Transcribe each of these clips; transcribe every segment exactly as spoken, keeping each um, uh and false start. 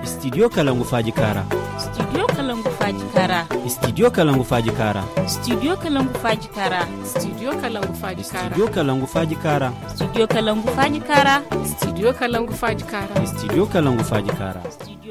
Studio kalangu faaji kaara. Studio kalangu faaji kaara. Studio kalangu faaji kaara. Studio kalangu faaji kaara. Studio kalangu faaji kaara. Studio kalangu faaji kaara. Studio kalangu faaji kaara. Studio kalangu faaji kaara. Studio kalangu faaji kaara.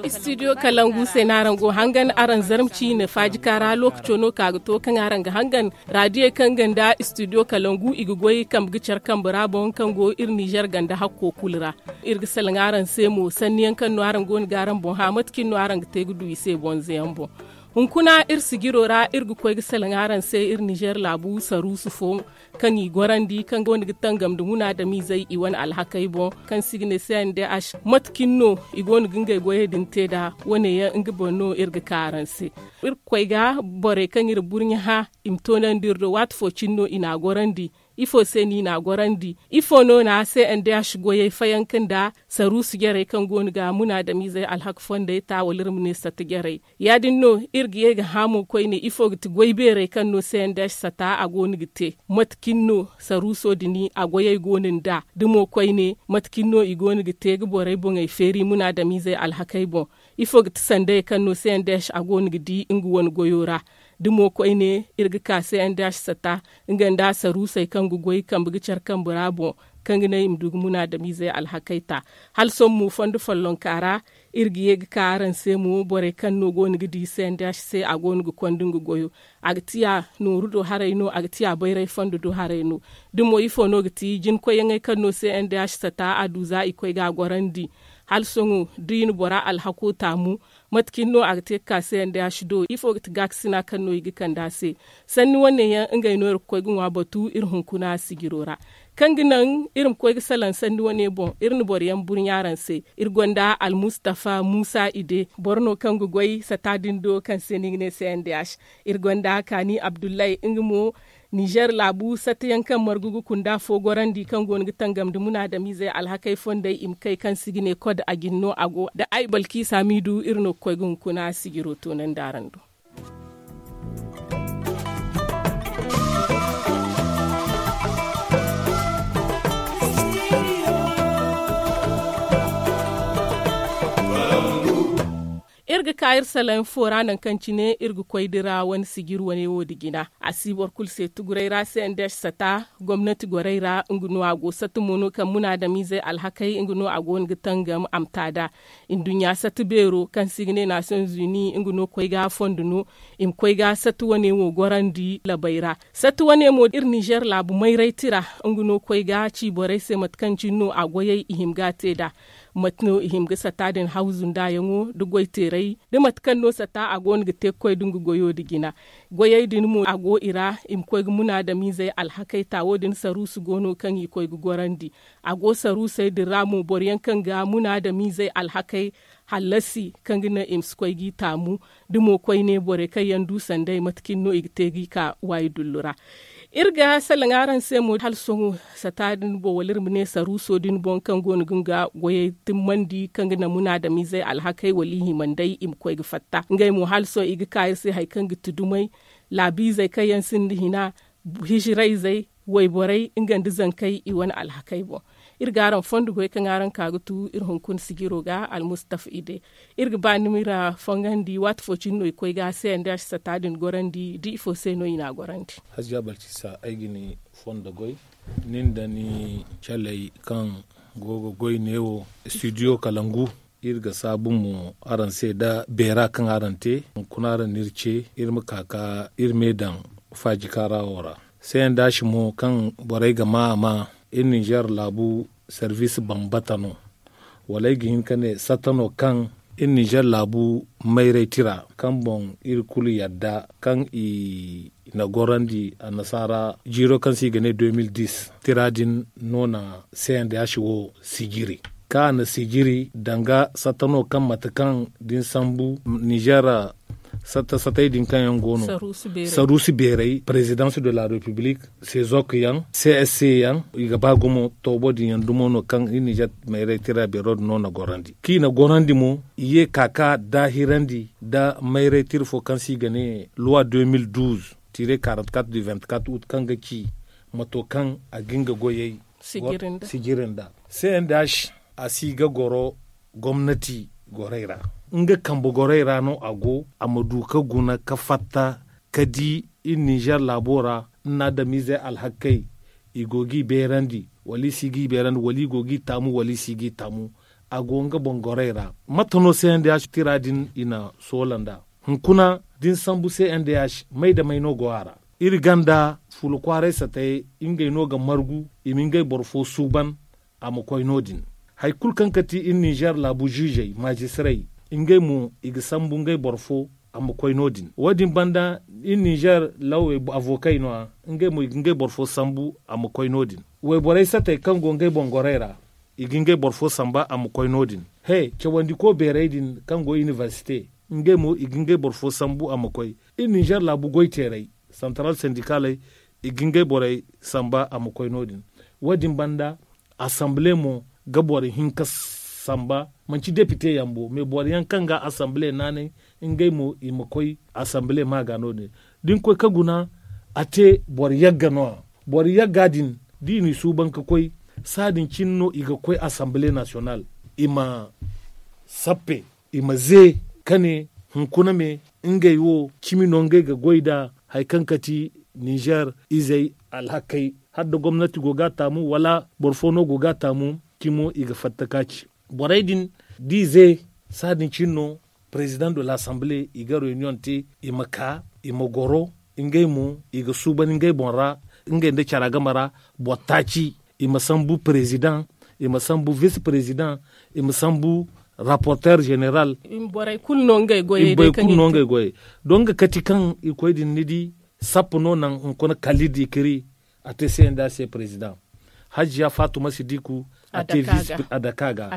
Studio kalangu se no araŋ go hangan araŋ zarma ciine faaji kaara lookaco no ka ga to kaŋ araŋ ga hangan. Raadiyey kaŋ ga nda studio kalangu i ga goy kambe ga care kambe ra boŋ kaŋ go iri nizer ganda hakko kulu ra. Iri ga salaŋ araŋ se mo sanni yaŋ kaŋ no araŋ go no ga araŋ boŋ hã mate cine no araŋ ga te ga du i se bonze yaŋ boŋ. Hunkuna iri sijiro ra iri ga koy ga salaŋ araŋ se iri nizer laabu saruusu fo kaŋ i gorandi kaŋ go no ga tangam nda munaadamizey i wane alhakey boŋ kaŋ se i ga ne se nda ash mate cine no i go no ga ngey goyey din te nd'a wane yaŋ nga boŋ no iri ga ka araŋ se. Iri ga koy ga borey kaŋ iri burɲe hã i ma toonandi iri do waati fo cine no i n'a gorandi. Ifo se no i n'a gorandi? Ifo no na se nda ash goyey fayanka nda saruusu jarey kaŋ go no ga munaadamizey alhaka fondey ta wala iri ma ne sata jarey? Ya- din no iri ga ye ga hã mo koyne ifo ga ti goy beerey kaŋ no se nda ash sata a go no ga te? Mate cine no saruuso din a goyey go no nd'a da mo koyne mate cine no i go no ga te ga borey boŋey feeri munaadamizey alhakey boŋ? Ifo ga ti sandayey kaŋ no se nda ash a go no ga di nga wane goyo ra? Da mo koyne iri ga ka se nda ash sata nga nda saruusey kaŋ ga goy kambe ga care kambe ra boŋ kaŋ ga naŋ i ma du ga munaadamizey alhakey ta. Hala sohõ mo fondo follonka ra iri ga ye ga ka araŋ se mo borey kaŋ no go no ga di se nda ash se a go no ga konda nga goyo. A ga tiya nooru do haray no a ga tiya bayray fondo do haray no. Da mo ifo no ga ti jinkoyyaŋey kaŋ no se nda ash sata a du za i koy ga a gorandi? Hala sohõ da i na bora alhako taamu mate cine no a ga te ga ka se nda ash do ifo ga ti gaakasina kaŋ no i ga kande a se? Sanni wane yaŋ ngey no iri ga koy ga ŋwa batu iri hunkuna sijiro ra kaŋ ga naŋ iri ma koy ga salaŋ sanni wane boŋ iri na boro yaŋ burɲa araŋ se. Iri gonda almustafa muusa ide boro no kaŋ ga goy sata din do kaŋ se no i ga ne se nda ash. Iri gonda kaani abdullahi nga mo nizer laabu sata yaŋ kaŋ margu ga kunda fo gorandi kaŋ go no ga tangam nda munaadamizey alhakey fondey i ma kay kaŋ se i ga ne kod a jine no a go nda ay balki saamiidu iri no ga koy ga hunkuna sijiro toonandi araŋ do. Iri ga ka iri salaŋ fo ra nangu kaŋ cine iri ga koy dira wane sijir wane wo nda jina a si boro kulu se tuguray ra se nda sata gomnati gorey ra nga no a go sata mo no kaŋ munaadamizey alhakey nga no a go no ga tangam a ma ta nd'a. Nduɲɲa sata beero kaŋ se i ga ne nations unis nga no koy ga fondo no i ma koy ga sata wane wo gorandi labey ra. Sata wane mo iri nizer laabu mayray tira nga no koy ga ci borey se mate kaŋ cine no a goyey i hima ga a te nd'a. Mate no i hima ga sata din hawzu nd'a yaŋo nda goy teeray nda mate kaŋ no sata a go no ga te ga koy nda nga goyo nda jina. Goyey din mo a go i ra i ma koy ga munaadamizey alhakey ta wo- din saruusu go no kaŋ i koy ga gorandi. A go saruusey din ra mo boro yaŋ kaŋ ga munaadamizey alhakey hallasi kaŋ ga naŋ i ma si koy g'i taamu. Da mo koyne borey kaŋ yaŋ du sanday mate cine no i ga te g'i ka waayi dullu ra. Iri ga salaŋ araŋ se mo hala sohõ sata din boŋ wala iri ma ne saruuso din boŋ kaŋ go no ga nga goyey timmandi kaŋ ga naŋ munaadamizey alhakey wala i hima nd'ey i ma koy ga fatta ngey mo hala sohõ i ga ka iri se hari kaŋ ga ti dumey laabiizey kaŋ yaŋ sinda hina hijirayzey wayborey nga nda zankey i wane alhakey boŋ. Iri ga araŋ fondo goy kaŋ araŋ ka ga tu iri hunkuna sijiro ga almustafa ide. Iri ga ba ni m'iri fongandi waati fo cine no i koy ga se nda ash sata din gorandi da ifo se no i n'a gorandi? Hajja balcisa ay ga ni fondo goy nin da ni caley kaŋ go ga goy neewo studio kalangu. Iri ga saabu mo araŋ se nda beera kaŋ araŋ te hunkuna araŋ n'iri ce iri ma ka ka iri me daŋ faajika ra wo ra. Seyandaasi mo kaŋ borey ga maa a maa iri ninzeer laabu servis bambata no. Wala ay ga hin ka ne satta no kaŋ iri ninzeer laabu mayray tira kaŋ boŋ iri kulu yadda kaŋ i na gorandi annasaara jiiro kaŋ se i ga ne deux mille dix tira din no na seyandaasi wo sijiri. Kaŋ a na sijiri danga satta no kaŋ mate kaŋ da ni sambu ninzeer satta sattey din kaŋ yaŋ go no saruusi beeray présidence de la république, sezok yaŋ, csc yaŋ, i ga ba gumo toobo din yaŋ dumo no kaŋ iri ninzeer mayray tira beero din no na gorandi kaŋ i na gorandi mo i ye ka ka daahirandi nda mayray tira fo kaŋ se i ga ne loi deux mille douze tire quarante quatre du vingt quatre août kaŋ ga ci mato kaŋ a ga nga goyey sijiri nda c n d h a si ga goro gomnati gorey ra. Nga kambe gorey ra no a go a ma du ga guna ga fatta ga di iri ninzeer laabo ra. Ni na adamiizey alhakey i go g'i beerandi wala i si g'i beerandi wala i go g'i taamu wala i si g'i taamu. A go nga boŋ gorey ra mate no c n d h tira din i na soola nd'a. Hunkuna da ni sambu c n d h may nda may no go a ra. Iri gonda fuula kwaaray satayey ngey no ga margu i ma ngey boro fo suuban a ma koy no- din. Hari kulu kaŋ ga ti iri ninzeer laabu ziizey maazistirey ngey mo i ga sambu ngey boro fo a ma koy no- din. Wo- din banda iri ninzeer lawey avokey no- ya ngey mo i ga ngey boro fo sambu a ma koy no- din. Wayborey satey kaŋ go ngey boŋ gorey ra i ga ngey boro fo samba a ma koy no- din. He cawandiko beerey din kaŋ go iniversite ngey mo i ga ngey boro fo sambu a ma koy. Iri ninzeer laabu goyteerey santaral sindikaley i ga ngey borey samba a ma koy no- din. Wo- din banda asanbile mo ga boro hinka samba manti depite yaŋ bo mais boro yaŋ kaŋ ga asanbile naanay ngey mo i ma koy asanbile ma ga no- din. Da ni koy ga guna a te boro yagga no- ya. Boro yagga din da i n'i suuban ga koy saadin cine no i ga koy asanbile nasiyonal i ma sappe i ma ze ka ne hunkuna me ngey wo cimi no ngey ga goy nd'a. Hari kaŋ ga ti ninzeer izey alhakey hala da gomnati go ga a taamu wala boro fo no go ga a taamu cimo i ga fatta ka ci. Borey din da i ze saadin cine no perezidaŋ de lasanbile i ga reyuniyoŋ te i ma ka i ma goro ngey mo i ga suuban ngey boŋ ra ngey nda cara game ra. Boro taaci i ma sambu perezidaŋ i ma sambu vis perezidaŋ i ma sambu raporteer zeneral. Borey kulu no ngey goyey. Donk ga kati kaŋ i koy din ni di sappa no naŋ hunkuna kalli da i kiri a te se nda a se perezidaŋ. Hajiya fatuma sidiku a te vis a daka ga.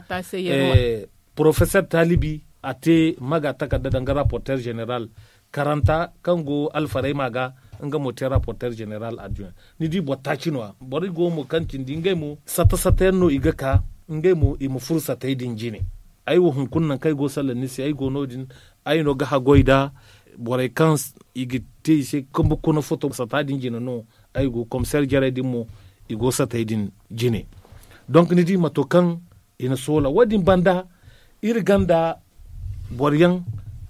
Porofesor taalibi a te maga takarda danga raporteer zeneral. Karanta kaŋ go alfarayma ga nga mo te raporteer zeneral adduya. Ni di boro taaci no- ya boro go mo kaŋ cindi ngey mo sata sata yaŋ no i ga ka ngey mo i ma furo satey din jine. Ay wo hunkuna nangu kaŋ ay go ga salaŋ ni se ay go no- din. Ay no ga haggoy nda borey kaŋ i ga te i se kambe kuna foto sata din jine no. Ay go komiseer jarey din mo i go satey din jine. Donk ni di mato kaŋ i na soola wo- din banda iri gonda boro yaŋ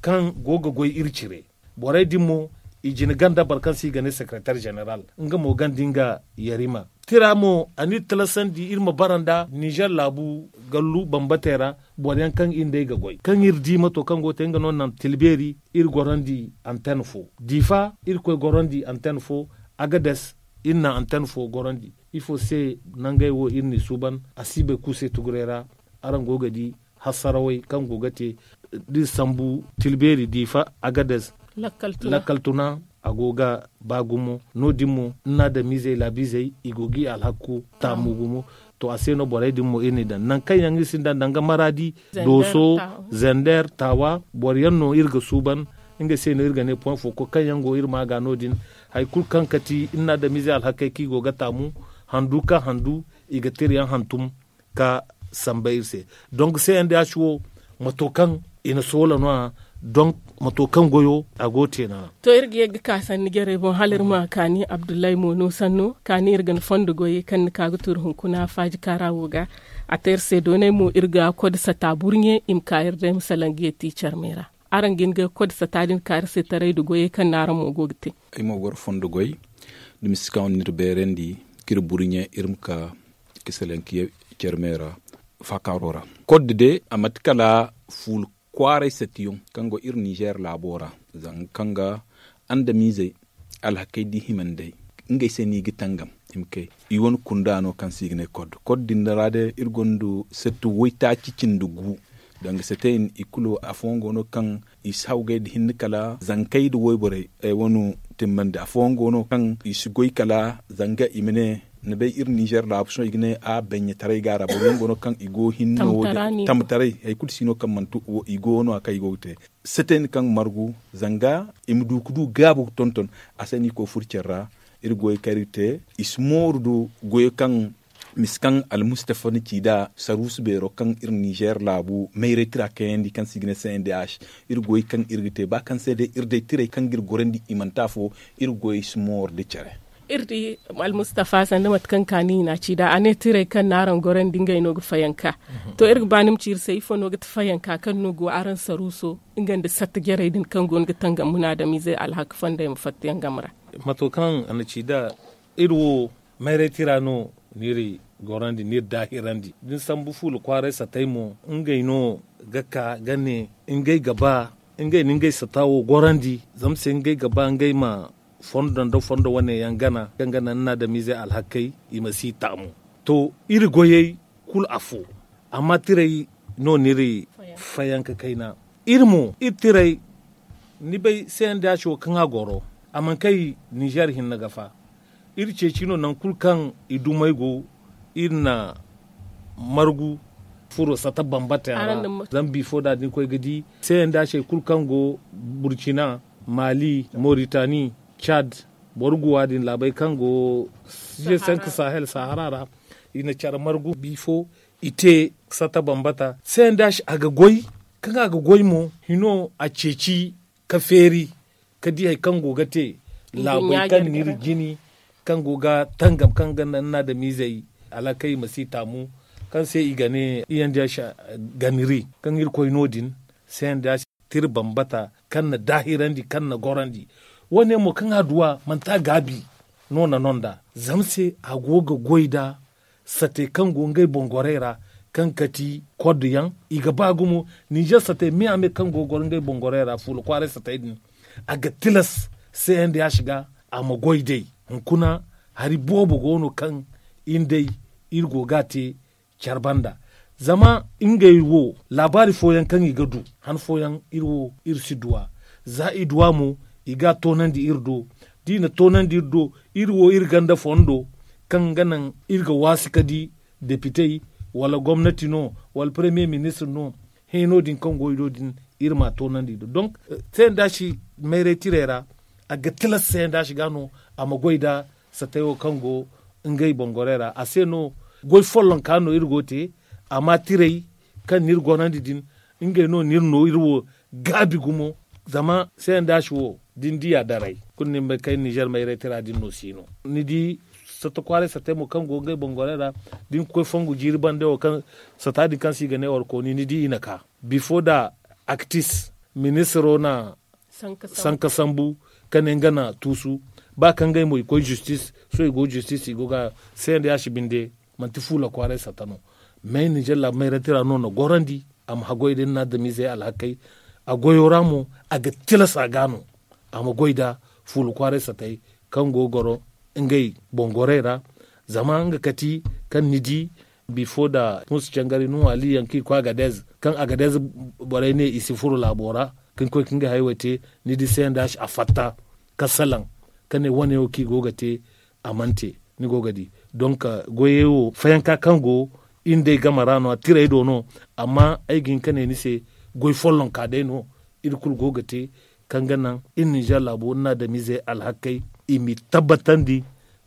kaŋ go ga goy iri cire. Borey din mo i jine gonda boro kaŋ se i ga ne sekereteer zeneral nga mo gonda nga yarima. Tira mo a n'iri talasandi iri ma bara nda ninzeer laabu gallu bambatey ra boro yaŋ kaŋ iri nd'ey ga goy kaŋ iri di mato kaŋ go ga te nga no naŋ tilbeeri iri gorandi anten fo diifa iri koy gorandi anten fo. Agades iri naŋ anten fo gorandi ifo se nangey wo iri n'i suuban a si bay kulu se tuguray ra. Araŋ go ga di hassarawey kaŋ go ga te da iri sambu tilbeeri diifa agades lakkal tuna a go ga ba gumo no- din mo ni na adamizey laabiizey i go ga i alhakku taamu gumo. To a se no borey din mo iri n'i daŋ nangu kaŋ yaŋ iri sinda danga maraadi dooso zender taawa boro yaŋ no iri ga suuban. Nga se no iri ga ne point fo koy kaŋ yaŋ go iri ma ga no- din hari kulu kaŋ kati iri na adamize alhakey kaŋ i go ga taamu handu ka handu i ga tira yaŋ hantum ka samba iri se. Donk se yaŋ da ya ci wo mato kaŋ i na soola no- ya donk mato kaŋ goyo a go ga te no- ya. To iri ga ye ga ka sanni jarey boŋ hala iri ma kaani abdullahi mo no sanno kaani iri ga ni fondo goyey kaŋ ni ka ga turu hunkuna faaji kaara wo ga. A te iri se doonay mo iri ga kod sata burɲe i ma ka iri day ma salaŋ ga ye ti carmey ra. Araŋ ga hin ga kod sata din kaari se taray nda goyey kaŋ no araŋ mo go ga te. Ay mo goro fondo goy da misi kaŋ wane no iri beerandi k'iri burɲe iri ma ka ka salaŋ ka ye carmey ra. Faakaaro ra kod de a mate kala fuula kwaaray satiyoŋ kaŋ go iri nizeer laabo ra zanga kaŋ ga andamiizey alhakey da i himandey ngey se no i ga tangam i ma kay. I wane kunda no kaŋ se i ga ne kod kod din ra day iri gonda satti waytaaci cindi gu. Danga satti i kulu afooyaŋ go no kaŋ i si hawgay nda hinne kala zankey nda wayborey ay wane timmandi afooyaŋ go no kaŋ i si goy kala zanga i ma ne ni bay iri nizeer laabu sohõ i ga ne a baɲɲataray ga a ra boro yaŋ go no kaŋ i go hinne no wo- din tamtaray hari kulu si no kaŋ manti i go no- ya kaŋ i go ga te. Setayni kaŋ margu zanga i ma du ga du gaabu ga tonton. A se no i koy furo care ra iri goyey kaŋ iri ga te i si mooru do goyo kaŋ misi kaŋ almustafa na ci nd'a saruusu beero kaŋ iri nizeer laabu mayray tira kayandi kaŋ se i ga ne c n d h. Iri goyey kaŋ iri ga te ba kaŋ se day iri day tirey kaŋ ga iri gorandi i manti afo. Iri goyey si mooru nda care Iri di almustafa sanda mate kaŋ kaani i na a ci nd'a a ne tirey kaŋ no araŋ gorandi ngey no ga fayanka. To iri ga ba ni ma ci iri se ifo no ga ti fayanka kaŋ no go araŋ saruuso nga nda satta jarey din kaŋ go no ga tangam munaadamiizey alhaka fondey ma fatta yaŋ game ra? Mato kaŋ a na ci nd'a iri wo mayray tira no ni iri gorandi ni iri daahirandi da ni sambu fuula kwaaray satay mo ngey no ga ka ga ne ngey ga ba ngey na ngey sata wo gorandi zama se ngey ga ba ngey ma fondo nda fondo wane yaŋ gana kaŋ ga naŋ ni na adamiizey alhakey i ma si taamu. To iri goyey kulu afo amma tirey no no iri fayanka kayna. Iri mo iri tirey ni bay se yaŋ da ya ci wo kaŋ a goro a mana kay ninzeer hinne ga fa. Iri ceeci no nangu kulu kaŋ i dumey go iri na margu furo sata bambata yaŋ ra. Zama bifo da da ni koy ga di se yaŋ da ya ci hari kulu kaŋ go burcina, maali, moritani, caad, boro guwa din laabey kaŋ go sanka sahel sahara ra. I na care margu bifo i te sata bambata se yaŋ da ya ci a ga goy kaŋ a ga goy mo hino a ceeci ka feeri ka di hari kaŋ go ga te laabey kaŋ no iri jini kaŋ go ga tangam kaŋ ga naŋ ni na adamiizey alhakey ma si taamu kaŋ se i ga ne i yaŋ da ya ci ganiri kaŋ iri koy no- din se yaŋ da ya ci tira bambata kaŋ na daahirandi kaŋ na gorandi. Wo- ne mo kaŋ a du a manti a gaabi no na no nd'a zama se a go ga goy nda sate kaŋ go ngey boŋ gorey ra kaŋ kati kod yaŋ i ga ba gumo ninzeer sate me a me kaŋ go ga goro ngey boŋ gorey ra fuula kwaaray satey din a ga tilas se yaŋ da ya ci ga a ma goy day. Hunkuna hari boobo go no kaŋ iri day iri go ga a te care banda zama ngey wo laabaari fooyaŋ kaŋ i ga du han fooyaŋ iri wo iri si du a. Za i du a mo i ga a toonandi iri do da i na toonandi iri do iri wo iri ganda fondo kaŋ ga naŋ iri ga waasi ka di depitey wala gomnati no wala paremiye ministir no hẽeno din kaŋ go i do din iri m'a toonandi i do donk se yaŋ da a si mayray tirey ra a ga tilas se yaŋ da a si ga no a ma goy nda satey wo kaŋ go ngey boŋ gorey ra a se no goy follonka no iri go ga te amma tirey kaŋ no iri gorandi din ngey no no iri no iri wo gaabi gumo. Zama se yaŋ da a si wo da ni di a daray kulu ni ma bay kaŋ iri ninzeer mayray tira din no si no ni di sata kwaaray satey mo kaŋ go ngey boŋ gorey ra da ni ga koy fongu jiiri bande wo kaŋ sata din kaŋ se i ga ne warkooni ni di i na ka bifo nda aktis ministiro na sanka sambu ka ne nga na tuusu ba kaŋ ngey mo i koy zistis sohõ i go zistis i go ga se yaŋ da ya si binde manti fuula kwaaray sata no. May ninzeer laabu mayray tira no na gorandi a ma haggoy da ni na adamiizey alhakey a goyo ra mo a ga tilas a ga no a ma goy nda fuula kwaaray satey kaŋ go ga goro ngey boŋ gorey ra. Zama nga kati kaŋ ni di bifo nda muusa cangari nuhu ali yaŋ kaŋ i koy agadez kaŋ agadez borey ne i si furo laabo ra kaŋ koy ka ngey hayey te ni di se yaŋ da a fatta ka salaŋ ka ne wane wo kaŋ i go ga te a mana te. Ni go ga di donk goyey wo fayanka kaŋ go iri nd'ey game ra no- ya tirey do no. Amma ay ga hin ka ne ni se goy follonka day no iri kulu go ga te kaŋ ga naŋ iri ninzeer laabo iri na adamiizey alhakey i m'i tabbatandi.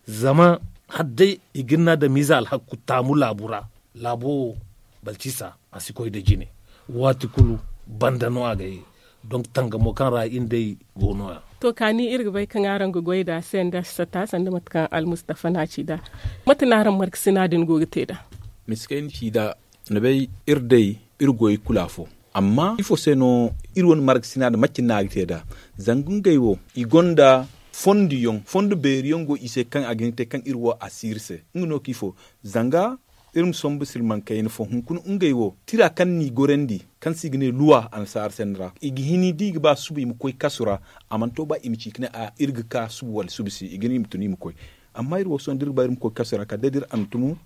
Zama hala day i ga iri na adamiize alhaku taamu laabu ra laabo wo balcisa a si koy nda jine. Waati kulu banda no a ga ye. Donk tangamo kaŋ ra iri nd'ey go no- ya. To kaani iri ga bay kaŋ araŋ ga goy nd'a se nda sata sanda mate kaŋ almustafa no a ci nd'a. Mate no araŋ markasina din go ga te nd'a? Miskey ni ci nd'a ni bay iri day iri goyey kulu afo. Amma ifo se no iri wane markasina din macin no a ga te nd'a? Zanga ngey wo i gonda fonduyaŋ fondo beeri yaŋ go i se kaŋ a ga hin ga te kaŋ iri wo a si iri se. Nga no kaŋ ifo zanga iri ma sombu silmaŋ kayna fo hunkuna ngey wo tira kaŋ n'i gorandi kaŋ se i ga ne luwa annasaara sanni ra i ga hini da i ga ba suba i ma koy kasu ra. A mana to ba i ma ci ka ne a iri ga ka suba wala suba se i ga ne i ma tun i ma koy. Amma iri wo sohõ da iri ga ba iri ma koy kasu ra kala day da iri a ma tunu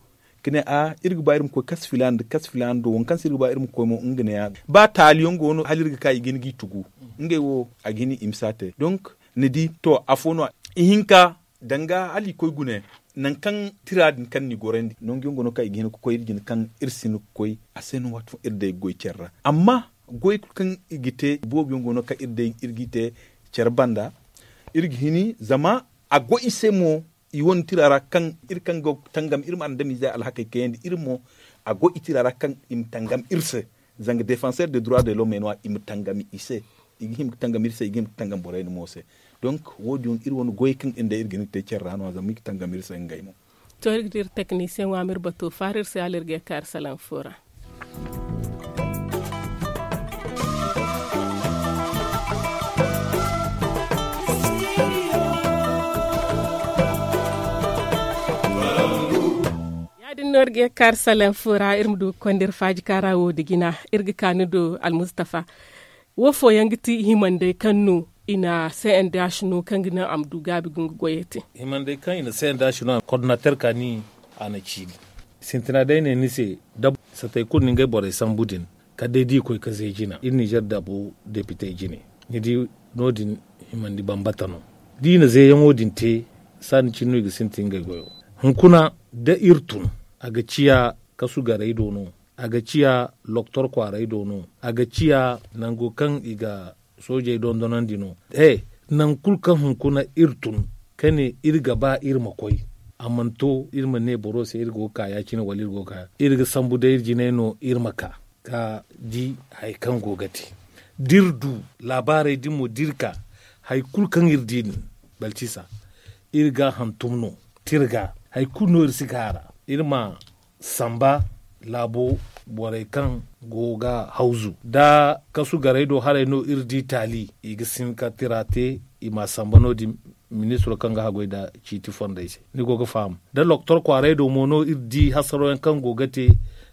ka ne a iri ga ba iri ma koy kasu filaana nda kasu filaana do waŋ kaŋ se iri ga ba iri ma koy mo nga ne- ya ba taali yaŋ go no hala iri ga ka i ga hin ga i tugu. Ngey wo a ga hin i ma si a te donk ni di to afo no ihinka danga hala i koy gune nangu kaŋ tira din kaŋ n'i gorandi nangu yaŋ go no kaŋ i ga hin ga koy iri jine kaŋ iri si hin ga koy a se no waati fooyaŋ iri day ga goy care ra. Amma goy kulu kaŋ i ga te boobo yaŋ go no kaŋ iri day iri g'i te care banda iri ga hini zama a go i se mo. I wane tira ra kaŋ iri kaŋ go ga tangam iri ma andamiizey alhakey kayandi iri mo a go i tira ra kaŋ i ma tangam iri se. Zanga defanseer de droit de lome no- ya i ma tangam i se. I ga hima ga tangam iri se, i ga hima ga tangam borey din mo se. Donk wo- din iri wane goy kaŋ iri ga hin ga te care ra no- ya zama iri ga tangam iri se ngey mo. To iri ga di iri teknisiyeŋo a ma iri bato faara iri se hala iri ga ye ka iri salaŋ fo ra. Ya- din no iri ga ye ka iri salaŋ fo ra iri ma du ga konda iri faaji kaara wo nda jina. Iri ga ka ni do almustafa. Wo fooyaŋ ga ti himandey kaŋ no i na cndh no kaŋ ga naŋ a ma du gaabi ga nga goyey te. Himandey kaŋ i na cndh no a kordinater kaani a na ciini. Sintina day ne ni se da satey kulu na ngey borey sambu din kala day da i koy ga zay jina iri ninzeer dabo depitey jine. Ni di no- din himandi bambata no. Da i na zayyaŋo din te saani cine no i ga sintin ngey goyo. Hunkuna da iri tun a ga ciya kasu garey do no, a ga ciya loktor kwaaray do no, a ga ciya nango kaŋ i ga soojey dondonandi no. He, nangu kulu kaŋ hunkuna iri tun ka ne iri ga ba iri ma koy, a mana to iri ma ne boro se iri go ga ka ya- cine wala iri go ga ka iri ga sambu day iri jinay no iri ma ka ga di hari kaŋ go ga te. Da iri du laabaarey din mo da iri ka hari kulu kaŋ iri di din balcisa iri ga a hantum no. Te iri ga hari kulu no iri si ga a ra. Iri ma samba laabo borey kaŋ go ga hawzu da kasu garey do haray no iri di taali i ga sin ka tira te. I ma a samba no- din ministiro kaŋ ga haggoy nda ciiti fondey se ni go ga faham. Da loktor kwaaray do mo no iri di hasaro yaŋ kaŋ go ga te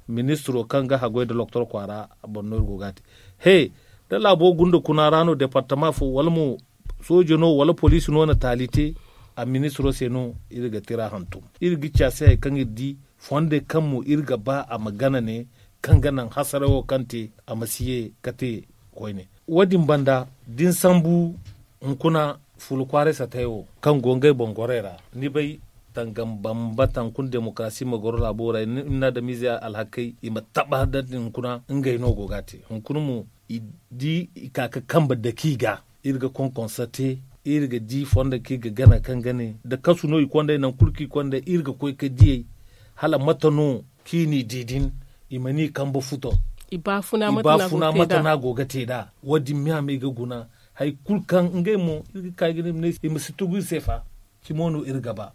ministiro kaŋ ga haggoy nda loktor kwaara boŋ no iri go ga a te. He, da laabo gunda kuna ra no departama fo wala mo soojo no wala poliisi no na taali te a ministiro se no iri ga tira hantum. Iri ga ci a se hari kaŋ iri di fondey kaŋ mo iri ga ba a ma gana ne kaŋ ga naŋ hasarayo kaŋ te a ma si ye ga te koyne. Wo- din banda da ni sambu hunkuna fuula kwaaray satay wo kaŋ go ngey boŋ gorey ra ni bay tangam bambata hunkuna demokarasi ma goro laabo ra i na adamize alhakey i ma taba da hunkuna ngey no go ga a te hunkuna mo i di i ka ga kambe dake i ga. Iri ga konkonsa te iri ga di fondo kaŋ iri ga gana kaŋ ga ne nda kasu no i konday nangu kulu kaŋ i konday iri ga koy ga diyey hala mate no kaŋ i n'i di din i mana i kambe futo. I baafuna mate no a go ga te nd'a wo- din me a ma i ga guna hari kulu kaŋ ngey mo iri ga ka i ga ne i ma si tugu iri se fa. Cimo no iri ga ba.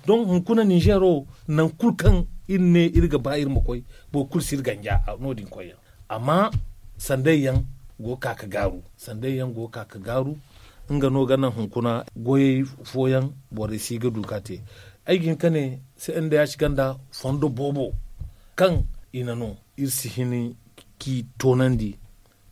Donk hunkuna ninzeero nangu kulu kaŋ iri ne iri ga ba iri ma koy boro kulu si iri ganja no- din koyyaŋ. Amma sanday yaŋ go ga ka ga gaaru sanday yaŋ go ga ka ga gaaru. Nga no ga naŋ hunkuna goyey fooyaŋ borey si ga du ga te. Ay ga hin ga ne se nda ya si ganda fondo boobo kaŋ i na no iri si hin k'i toonandi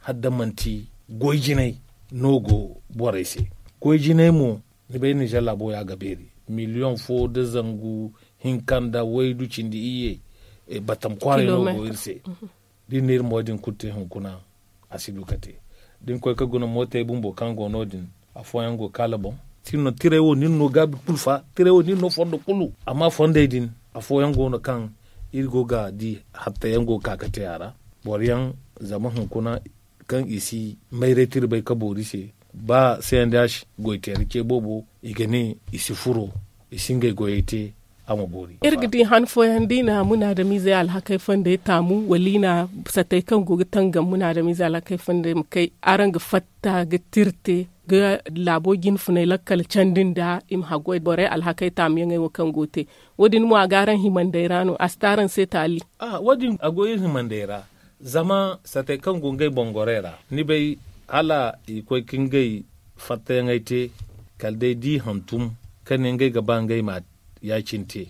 hala da manti goy jinay no go borey se. Goy jinay mo ni bay ninzeer laabo ya ga beeri miliyoŋ fo nda zangu hinka nda waydu cindi iyye. Batam kwaaray no go iri se. Da iri na iri mo din kulu te hunkuna a si du ga te. Da ni koy ga guna mootey bumbo kaŋ go no- din afooyaŋ go ga kaala boŋ. Tiray wo ni na no gaabi kulu fa tiray wo ni na no fondo kulu amma fondey din afooyaŋ go no kaŋ iri go ga di hattayaŋ go ga ka ga te a ra. Boro yaŋ zama hunkuna kaŋ i si mayray tirbay ka boori se ba se yaŋ da ya si goy teera ce boobo i ga ne i si furo i si ngey goyey te. A ma boori iri ga di han fooyaŋ da i na munaadamiizey alhakey fondey taamu wala i na satey kaŋ go ga tangam munaadamiizey alhakey fondey ma kay araŋ ga fatta ga tirte ga laabo jinfunay lakkal candi nda i ma haggoy borey alhakey taamuyaŋey wo kaŋ go ga te. Wo- din mo a go araŋ himandey ra no a si te araŋ se taali. Wo- din a go iri himandey ra. Zama satey kaŋ go ngey boŋ gorey ra ni bay hala i koy ka ngey fattayaŋey te kala day da i hantum ka ne ngey ga ba ngey ma ya- cine te.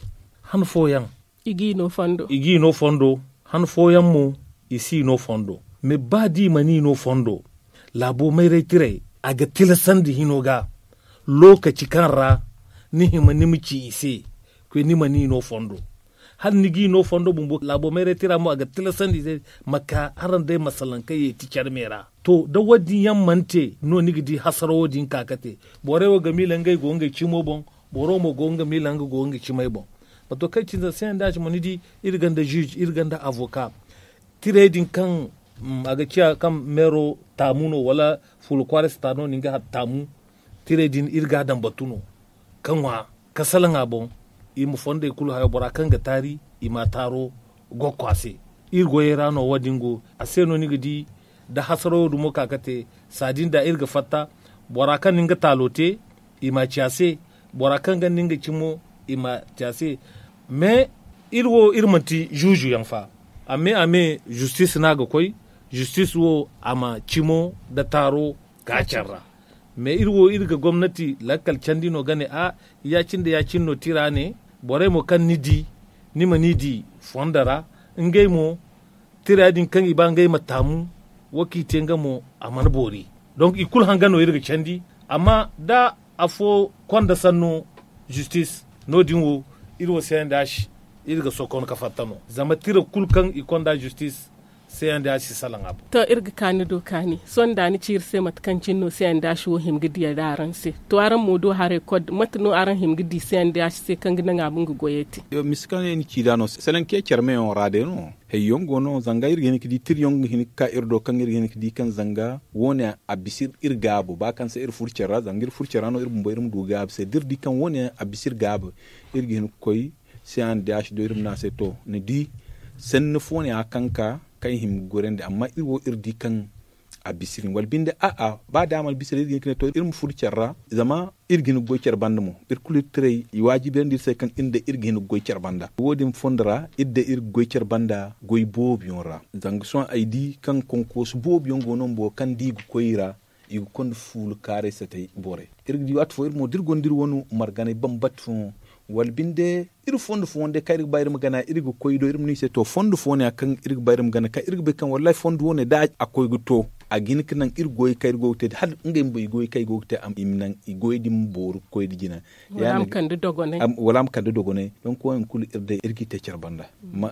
Han fooyaŋ i g'i no fondo han fooyaŋ mo i s'i no fondo. Mais ba da i mana i no fondo laabo mayray tiray a ga tilasandi hino ga lookaci kaŋ ra ni hima ni ma ci i se koy ni mana i no fondo. Hala ni g'i no fondo bumbo laabo mayray tira mo a ga tilasandi i se ma ka araŋ day ma salaŋ kaŋ yeeti care me ra. To da wo- din yaŋ mana te no ni ga di hasara wo- din ka ga te. Borey wo ga miila ngey go ngey cimo boŋ boro mo go nga miila nga go nga cimay boŋ. Bato kaŋ cine se nda a cimo ni di iri gonda juge iri gonda avoka. Tirey din kaŋ a ga ciya kaŋ meero taamu no wala fuula kwaara si ta no ni nga taamu. Tirey din iri ga a daŋ batu no ka ŋwa ka salaŋ a boŋ. I ma fondey kulu hayo bora kaŋ ga taari i ma a taaro gokko a se. Iri goyey ra no wo- din go a se no ni ga di da hasarawo dumo ka ga te. Saadin da iri ga fatta bora kaŋ na nga taalo te, i ma a ci a se. Bora kaŋ ga na nga cimo, i ma a ci a se. Mais iri wo iri manti zuuzu yaŋ fa. A me a me, zistis no a ga koy. Zistis wo a ma cimo nda taaro ka care ra. Mais iri wo iri ga gomnati lakkal candi no ga ne a, ya- cine nda ya- cine no tira ne. Borey mo kaŋ ni di, ni ma ni di fondo ra. Ngey mo, tira din kaŋ i ba ngey ma taamu, wo kaŋ i te nga mo, a mana boori. Donc i kulu hanga no iri ga candi. Amma da afo konda sanno, zistis, no- din wo, iri wo se nda a si, iri ga sokon ka fatta no. Zama tira kulu kaŋ i konda zistis, se nda a si salaŋ a boŋ. To, iri ga kaani do kaani sohõ da ni ci iri se mate kaŋ cine no se nda a si wo hima ga diya da araŋ se. To, araŋ mo do haray kod mate no araŋ hima ga di se nda a si se kaŋ ga naŋ a ma nga goyey te? Misa kaŋ yaŋ ni ci da no, salaŋ ke care meyaŋo ra day no. Hayyaŋ go no zanga iri ga hin ga di tira yaŋ ga hin ga ka iri do kaŋ iri ga hin ga di kaŋ zanga wo- ne a bisa iri gaabu ba kaŋ se iri furo care ra zanga iri furo care ra no iri bumbo iri ma du gaabu se da iri di kaŋ wo- ne a bisa iri gaabu, iri ga hin ga koy se a na di a si do iri ma ne a se to, ni di sanni fo- ne ya kaŋ ka kaŋ i hima ga gorandi amma iri wo iri di kaŋ a bisa iri wala binde a'a ba da a mana bisa iri ga hin ga ne to iri ma furo care ra. Zama iri ga hin ga goy care banda mo iri kulu iri tiray i waajibirandi iri se kaŋ iri nda iri ga hin ga goy care banda wo- din fondo ra iri nda iri ga goy care banda goy boobo yaŋ ra. Zanga sohõ ay di kaŋ konkoosu boobo yaŋ go no bumbo kaŋ da i ga koy i ra, i ga konda fuula kaaray satay borey. Iri ga di waati fo iri mo da iri gonda iri wane marganay bambata fooyaŋ wala binde iri fondo fooyaŋ day kaŋ iri ga ba iri ma gana iri ga koy i do iri ma ne i se to fondo fooyaŋ ya kaŋ iri ga ba iri ma gana kaŋ iri ga bay kaŋ wallaahi fondo wane da a koy ga to, a ga hin ga naŋ iri goyey kaŋ iri go ga te da hala ngey bumbo i goyey kaŋ i go ga te i ma naŋ i goyey din ma booru ga koy nda jina. Wala a ma kande dogonay. Donk wo- din kulu iri day iri ga i te care banda.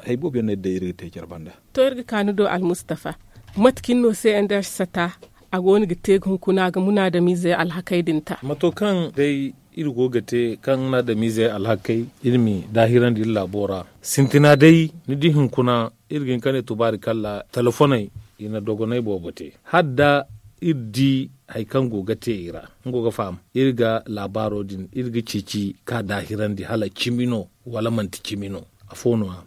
Hari boobo yaŋ no iri day iri ga te care banda. To iri ga kaanu do almustafa, mate cine no se nda sata a go no ga te ga hunkuna ga munaadamiizey alhakey din ta? Mato kaŋ day iri go ga te kaŋ na adamiizey alhakey iri ma i daahirandi iri laabo ra. Sintina day ni di hunkuna iri ga hin ka ne tubaari kalla telefoney i na dogoney boobo te hala da iri di hari kaŋ go ga te i ra. Nga go ga faham iri ga laabaaro din iri ga ceeci ka daahirandi hala cimi no wala manti cimi no. Afo no- ya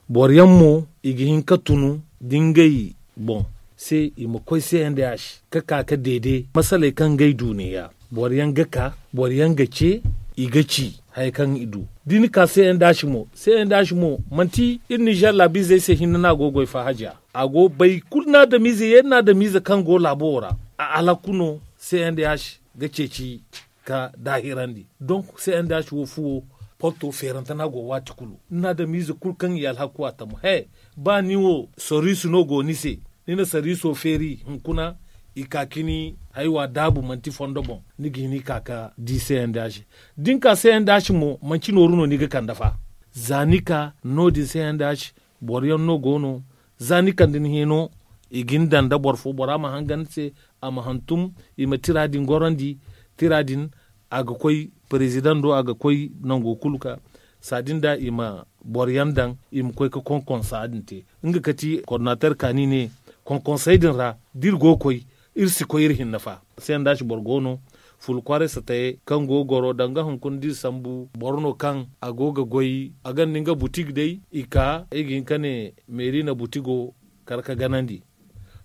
boro yaŋ mo i ga hin ka tunu da ngey boŋ se i ma koy se nda yaasi ka ka ka deede masaley kaŋ ngey du ne- ya. Boro yaŋ ga ka boro yaŋ ga ce i ga ci haya kaŋ i du. Da ni ka se nda yaasi mo se nda yaasi mo manti iri nizer laabiizey se hinne no a go ga goy fa haja. A go bay kulu na adamiize yeeri na adamiize kaŋ go laabo wo ra a alhaku no se nda yaasi ga ceeci ka daahirandi. Donk se nda yaasi wo fuwo porto feerante no a go waati kulu ni na adamiize kulu kaŋ i alhaku a tamu he. Ba ni wo soriisu no go ni se ni na soriiso feeri hunkuna i ka cini haywa daabu manti fondo boŋ ni ga hin i ka ka di se nda yaasi. Da ni ka se nda yaasi mo manti nooru no ni ga kande fa. Za ni ka no- din se nda yaasi boro yaŋ no go no. Za ni kande ni hino i ga ni daŋ nda boro fo bora ma hanga ni se a ma hantum i ma tira din gorandi. Tira din a ga koy perezidaŋ do a ga koy nango kulu ka saadin da i ma boro yaŋ daŋ i ma koy ga konkonsa din te. Nga kati koordinater ka ni ne konkonsey din ra da iri go ga koy iri si koy iri hinne fa. Sendaasi boro go no fuula kwaaray satayey kaŋ go ga goro danga hunkuna da iri sambu boro no kaŋ a go ga goy a gonda nga butig day i ka ay ga hin ka ne meeri na butigo kar ka ganandi.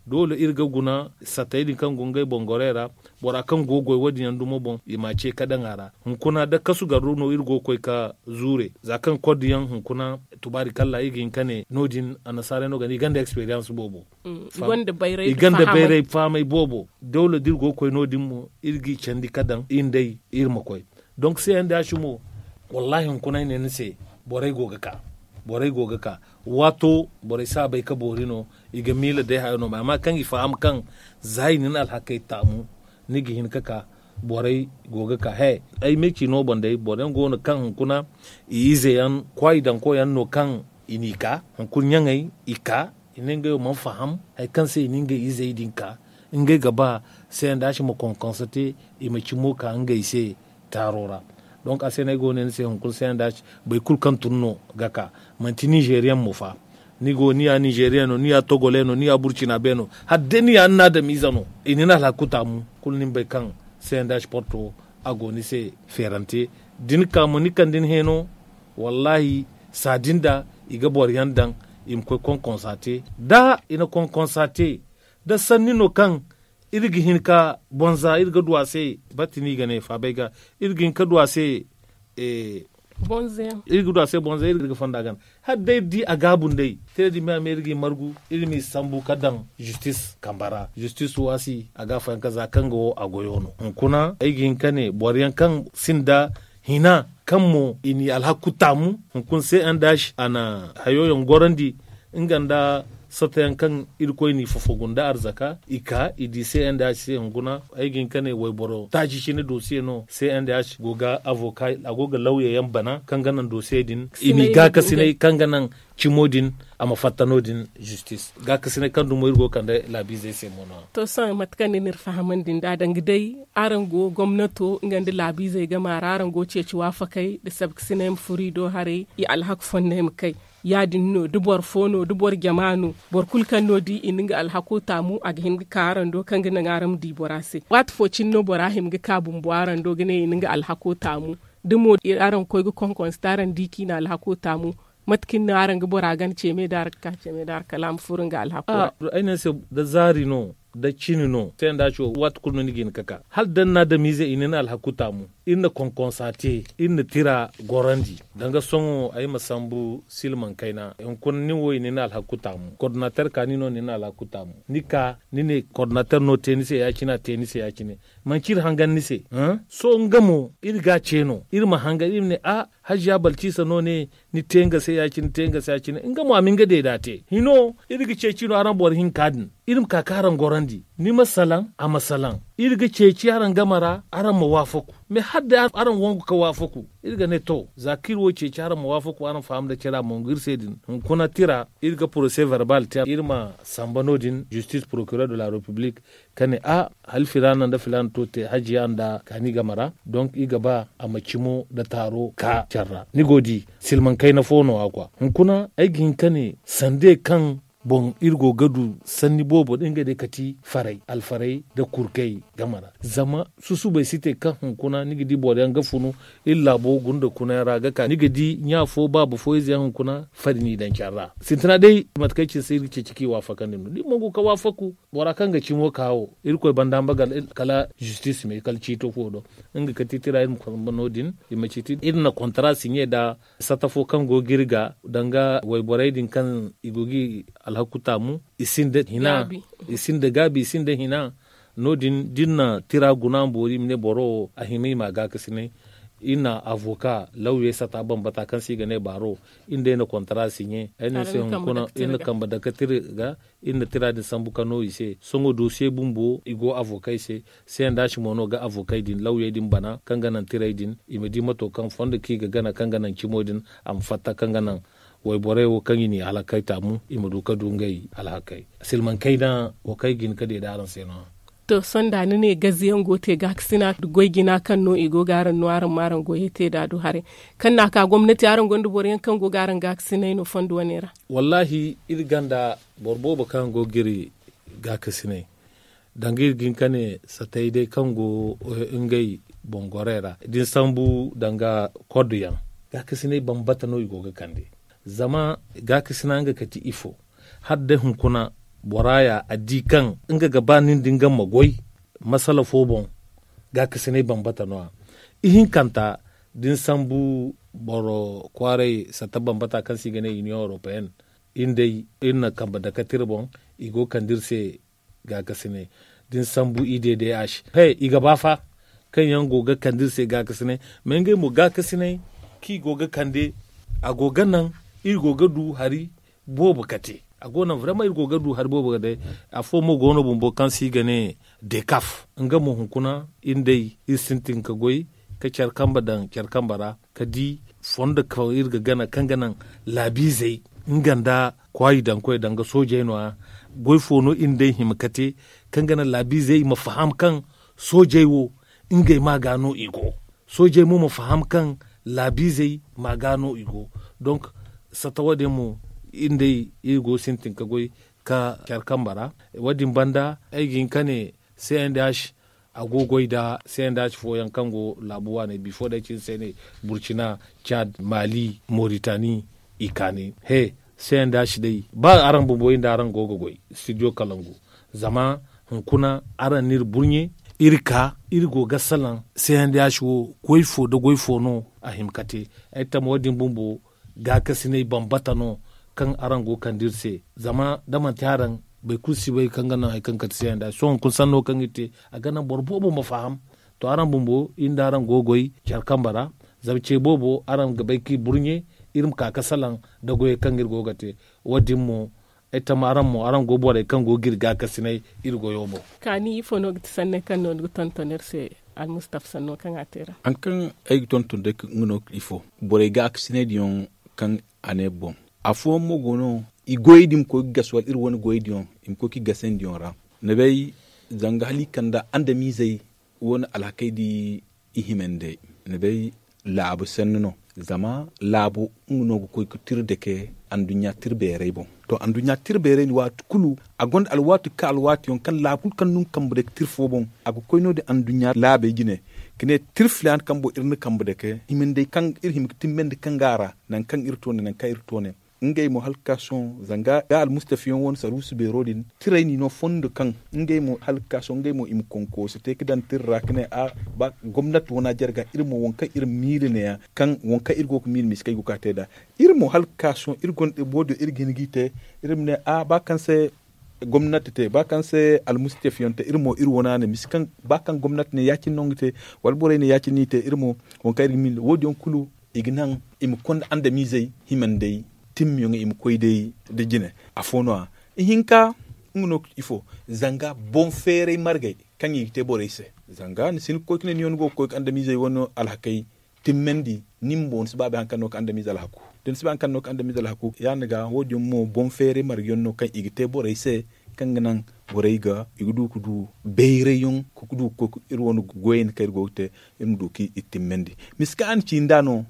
Doole iri ga guna satayey din kaŋ go ngey boŋ gorey ra bora kaŋ go ga goy wo- din yaŋ dumo boŋ i m'a ce ka daŋ a ra. Hunkuna da kasu garro no iri go ga koy ka zuure za kaŋ kod yaŋ hunkuna tubaari kalla iri ga hin ka ne no- din annasaarey no ga ne i gonda eksperiyans boobo. I gonda bayray fahamay boobo. Dawla da iri go ga koy no- din mo iri g'i candi ka daŋ iri nd'ey iri ma koy. Donk se yaŋ da ya si mo wallaahi hunkuna ay ne ni se borey go ga ka. Borey go ga ka waato borey si a bay ka boori no. I ga miila day hayo no ma amma kaŋ i faham kaŋ za i na ni alhakey taamu ni ga hin ka ka. Borey go ga ka he ay me ci no boŋ day boro yaŋ go no kaŋ hunkuna i ize yaŋ kwaayi daŋ koy yaŋ no kaŋ i n'i ka hunkuna ɲaŋey i ka i ne ngey wo mana faham hari kaŋ se i na ngey izey din ka ngey ga ba se nda a si ma konkonsa te. I ma cimo ka ngey se taaro ra. Donk a se no ay go ga ne ni se hunkuna se nda a si boro kulu kaŋ tun no ga ka manti ninzeeriyaŋ mo fa. Ni go ni ya ninzeeriyaŋ no ni ya togole no ni ya burcina be no hala day ni ya ni na adamiize no i na ni alhaku taamu kulu ni ma bay kaŋ se nda a si porto a go ni se feerante. Da ni ka mo ni kande ni heeno wallaahi saadin da i ga boro yaŋ daŋ i ma koy konkonsa te da i na konkonsa te. da sanni no kaŋ iri ga hin ka bonza iri ga du a se. Batti no i ga ne faabay ga iri ga hin ka du a se. Iri ga du a se bonza iri ga fonda gana hala day iri di a gaabu nd'ey. Tira din me a me iri ga i margu iri m'i sambu ka daŋ zistis kamba ra zistis waasi a ga a fayanka za kaŋ ga wo a goyo no hunkuna ay ga hin ka ne boro yaŋ kaŋ sinda hina kaŋ mo i n'i alhaku taamu. Hunkuna se n dash a na hayo yaŋ gorandi nga nda satta yaŋ kaŋ irkoy n'i fofogu nda arzaka i ka i di se n dash se hunkuna ay ga hin ka ne wayboro taaci cine dosiye no se n dash go ga avoka a go ga lawya yaŋ bana kaŋ ga naŋ dosiye din i m'i gaakasinay kaŋ ga naŋ cimo din a ma fatta no- din zistis. Gaakasinay kaŋ dumo iri go ga kande laabiizey se mo no- ya. To sohõ mate kaŋ ni n'iri fahamandi nd'a danga day araŋ go gomnato nga nda laabiizey game a ra araŋ go ga ceeci waafakey nda sabkasinay ma furo i do haray i alhaku fonney ma kay. Ya- din no da boro fo no da boro jama no boro kulu kaŋ no di i na nga alhako taamu a ga hin ga ka araŋ do kaŋ ga naŋ araŋ ma di bora se. Waati fo cine no bora hima ga ka bumbo araŋ do ga ne i na nga alhako taamu da mo araŋ koy ga konkonse te araŋ di kaŋ i na alhako taamu. Mate kaŋ ni no araŋ ga bora gana ceeme da araŋ ga ka ceeme da araŋ kala a ma furo nga alhako ra. Ay ne ni se da zaari no da cine no se nda ci wo waati kulu no ni ga hin ga ka hala da ni na adamiize i na ni alhaku taamu. Iri na konkonsa te iri na tira gorandi danga sohõ ay ma sambu silmaŋ kayna hunkuna nin wo i na ni alhaku taamu kordinateer ka ni no ni na alhaku taamu. Ni ka ni ne kordinateer no te ni se ya- cine a te ni se ya- cine. Manci iri hangan ni se. Sohõ nga mo iri ga a ce no iri ma hangan iri ma ne a hajiya balciisa no ne ni te nga se ya- cine te nga se ya- cine nga mo a ma nga deeda te hino iri ga ceeci no araŋ boro hinka din. Iri ma ka ka araŋ gorandi ni ma salaŋ a ma salaŋ. Iri ga ceeci araŋ game ra araŋ ma waafaku. Mais hala day araŋ wangu ka waafaku iri ga ne to za kaŋ iri wo ceeci araŋ ma waafaku araŋ faham nda care a mongu iri se din hunkuna tira iri ga porose verbal te iri ma samba no- din justice procureur de la république ka ne a hala filaana nda filaana to te hajiya nda kaani game ra. Donc iri ga ba a ma cimo nda taaro ka care ra ni go ga di silmaŋ kayna fo no- ya kwa hunkuna ay ga hin ka ne sande kaŋ boŋ iri go ga du sanni boobo nda ngey day kati faray alfaray nda kurkey game ra. Zama susubay si te kaŋ hunkuna ni ga di boro yaŋ ga funu iri laabo gunda kuna yaŋ ra ga ka ni ga di ɲa fo baaba fo ize yaŋ hunkuna fari n'i daŋ care ra. Sintina day mate kaŋ ay ci ni se iri ga ceeci kaŋ i waafakandi no da iri mongu ka waafaku bora kaŋ ga cimo ka wo irkoy banda ma baga kala zistis me kala ciito fo do. Nga kati tira iri ma konba no- din i ma ciiti iri na kontara siɲe nda satta fo kaŋ go ga iri ga danga wayborey din kaŋ i go ga i alhaku taamu i sinda hina i sinda gaabi i sinda hina. No- din da iri na tira guna ma boori i ma ne boro wo a hima i ma a gaakasinay. Iri na avoka lawyey satta bambata kaŋ se i ga ne baaro iri nd'ey na kontara siɲe ay no ni se hunkuna iri na kambe danga tira ga iri na tira din sambu ka no i se sohõ dosiye bumbo i go avokey se. Sendaasi mo no ga avokey din lawyey din bana kaŋ ga naŋ tirey din i ma di mato kaŋ fondo kaŋ i ga gana kaŋ ga naŋ cimo din a ma fatta kaŋ ga naŋ wayborey wo kaŋ i n'i halakey taamu i ma du ka du ngey alhakey. Silmaŋ kayna wo kaŋ ay ga hin ka deeda araŋ se no- ya. To sohõ da ni ne gaziyaŋ go ga te gaakasina goy jina kaŋ no i go ga araŋ no araŋ ma araŋ goyey te da du haray kaŋ n'a ka gomnati araŋ gonda boro yaŋ kaŋ go ga araŋ gaakasinay no fondo wane ra? Wallaahi iri ganda boro boobo kaŋ go ga iri gaakasinay danga iri ga hin ka ne satay day kaŋ go ngey boŋ gorey ra da ni sambu danga koddu yaŋ gaakasinay bambata no i go ga kande. Zama gaakasina nga kati ifo hala day hunkuna bora ya a di kaŋ nga ga ba nin da nga ma goy masala fo boŋ gaakasinay bambata no- ya. Ihinkanta da ni sambu boro kwaaray satta bambata kaŋ se i ga ne union européenne iri day iri na kambe danga tira boŋ i go ga kande iri se gaakasinay da ni sambu i d d h he i ga ba fa kaŋ yaŋ go ga kande iri se gaakasinay. Mais ngey mo gaakasinay kaŋ i go ga kande a go ga naŋ iri go ga du hari boobo ka te. A go naŋ vraiment iri go ga du hari boobo ga day. Afo mo go no bumbo kaŋ se i ga ne dekaf nga mo hunkuna iri day iri sintin ka goy ka care kambe daŋ care kambe ra ka di fondo kaŋ iri ga gana kaŋ ga naŋ laabiizey nga nda kwaayi daŋ koy danga soojey no- ya. Goy fo no iri day hima ka te kaŋ ga naŋ laabiizey i ma faham kaŋ soojey wo ngey ma ga no i go. Soojey mo ma faham kaŋ laabiizey ma ga no i go. Donc satta wo- din mo iri day iri go sintin ka goy ka care kambe ra. Wo- din banda ay ga hin ka ne c n d h a go ga goy nda c n d h fooyaŋ kaŋ go laabu waaney bifo day cine se ne burcina, cad, mali, moritani, i kaanay he c n d h day ba araŋ bumbo iri nda araŋ go ga goy studio kalangu. Zama hunkuna araŋ n'iri burɲe, iri ka iri go ga salaŋ, se handay a si wo goy fo nda goy fo no a hima ka te. Ay tamma wo- din bumbo gaakasinay bambata no kaŋ araŋ go ga kande iri se. Zama da manti araŋ, boro kulu si bay kaŋ ga naŋ hari kaŋ kate se handay a si wo hunkuna sanno kaŋ iri te, a ga naŋ boro boobo ma faham. To araŋ bumbo iri nda araŋ go ga goy care kambe ra. Zama ce boobo araŋ ga bay kaŋ i burɲe, iri ma ka ga salaŋ nda goyey kaŋ iri go ga te. Wo- din mo ay tamma araŋ mo araŋ go borey kaŋ go ga iri gaakasinay iri goyo boŋ. Kaani ifo no ga ti sanney kaŋ no ni ga tonton iri se? Almustafa sanno kaŋ a te ra. Hari kaŋ ay ga tonton day nga no ifo, borey gaakasinay din yaŋ kaŋ a ne boŋ, afooyaŋ mo go no i goyey din ma koy ga gasa wala iri wane goyey din yaŋ i ma koy ga i gasandi yaŋ ra. Ni bay, zanga hala i kanda andamiizey wane alhakey da i himandi. Ni bay, laabu sanni no. Zama laabu nga no ga koy ga tira dake anduɲɲa tira beerey boŋ. To anduɲɲa tira beerey din waati kulu, a gonda alwaati ga ka alwaati yaŋ kaŋ laabu kulu kaŋ no nga kambe dake tira fo boŋ, a ga koy no- din anduɲɲa laabey jine, ga ne tira filaana kambo iri na kambe dake himandi kaŋ iri hima ga timmandi kaŋ ga a ra, nangu kaŋ iri to ne nangu kaŋ iri to ne. Ngey mo hala ga ka sohõ zanga ga almustafa yaŋ wane saruusu beero din, tirey n'i no fondo kaŋ ngey mo hala ga ka sohõ ngey mo i ma konkoosi te ga daŋ tira ra ga ne a ba gomnati wane a jarga iri mo waŋ kaŋ iri ma miila neeya kaŋ waŋ kaŋ iri go ga miila miskey go ga ka te nd'a. Iri mo hala ga ka sohõ iri gonda wo- din iri ga hin g'i te, iri ma ne a ba kaŋ se gomnati te ba kaŋ se almustafa yaŋ te iri mo iri wane a ne misi kaŋ ba kaŋ gomnati ne ya- cine no nga te, wala borey ne ya- cine no i te iri mo waŋ kaŋ iri ga miila wo- din yaŋ kulu i ga naŋ i ma konda andamiizey himandey timmiyaŋey i ma koy day nda jine. Afo no- ya ihinka nga no ifo? Zanga boŋ feeray margey kaŋ i ga te borey se. Zanga ni si hin ga koy ga ne ni yaŋ ni go ga koy ga andamiizey wane alhakey timmandi, ni bumbo ni si ba bay hari kaŋ no ga andamiize alhaku. Da ni si bay hari kaŋ no ga andamiize alhaku ya- din ga wo- din mo boŋ feeray margey yaŋ no kaŋ i ga te borey se, kaŋ ga naŋ borey ga i ga du ga du bayray yaŋ ga du ga koy iri wane goyey kaŋ iri go ga te, iri ma du ga i timmandi. Misi kaŋ a na ci nd'a no,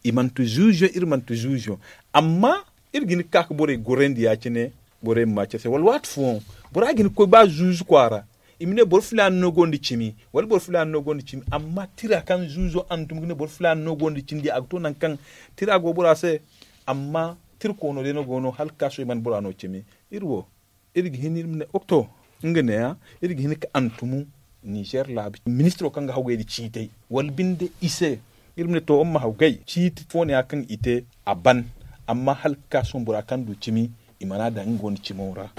i manti zuuzu yaŋ iri manti zuuzu yaŋ. Amma iri ga hin ga ka ga borey gorandi ya- cine, borey ma ma care se wala waati fooyaŋ bora ga hin ga koy ba zuuzu kwaara, i ma ne boro filaana no gonda cimi wala boro filaana no gonda cimi. Amma tira kaŋ zuuzo hantum ga ne boro filaana no gonda cindi a ga to nangu kaŋ tira go bora se. Amma tira koono day no go no hala ga ka sohõ i mana bora no cimi. Iri wo iri ga hin iri ma ne okto nga neeya, iri ga hin ga hantumu ninzeer laabu ministiro kaŋ ga hawgay nda ciitay wala binde i se. Iri ma ne to iri ma hawgay ciiti fo neeya kaŋ i te a ban. Amma hala ga ka sohõ bora kaŋ du cimi i mana daŋ nga wane cimo ra.